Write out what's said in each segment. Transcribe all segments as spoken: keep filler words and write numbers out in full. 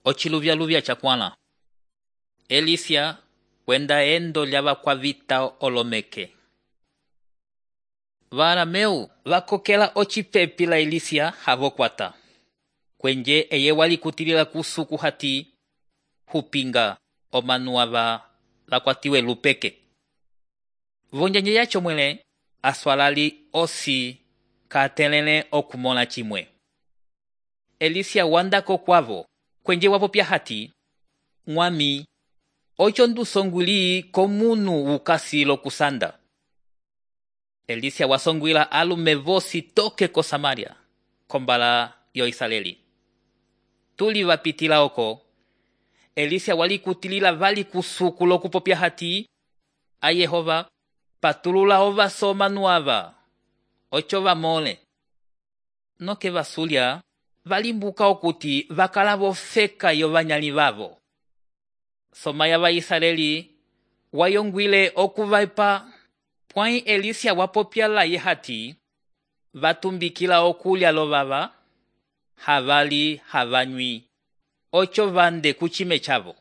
Ociluvyaluvya chakwãla. Elisia kwenda endo lyavakwavita olomeke. Varameu vakokela ocipepi la Elisia havokwata. Kwenje eye walikutilila kusuku hati hupinga omanu ava lakwatiwe lupeke. Vonjanje yacho mwele aswalali osi katelele okumona chimwe. Elisia wandako kwavo kwenje wapopya hati mwami ocho ndusongwili komunu ukasi lokusanda. Elisia wasongwila alume vosi toke ko Samaria kombala yo Israeli. Tuli vapitila oko Elisia walikutilila vali kusuku lokupopya hati a Yehova patulula ovaso omanu ava ocho vamole. Noke vasulya valimbuka okuti vakala vofeka yo vanyali vavo. Somaya va Israeli wayongwile okuvaipa pwãyi Elisia wapopya laye hati vatumbikila okulya lovava havali havanywi ocho vande kuchime chavo.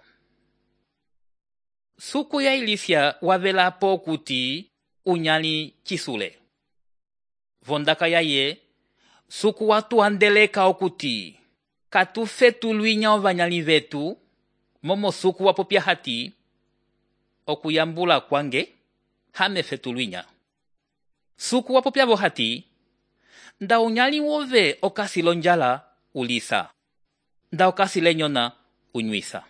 Suku ya Elisia wavelapo okuti unyali chisule. Vondaka yaye suku watu andeleka okuti katufetulwinya ovanyali vetu momo suku wapopya hati okuyambula kwange hame fetulwinya. Suku wapopya vo hati nda unyali wove okasi lonjala ulisa nda okasi lenyona unywisa.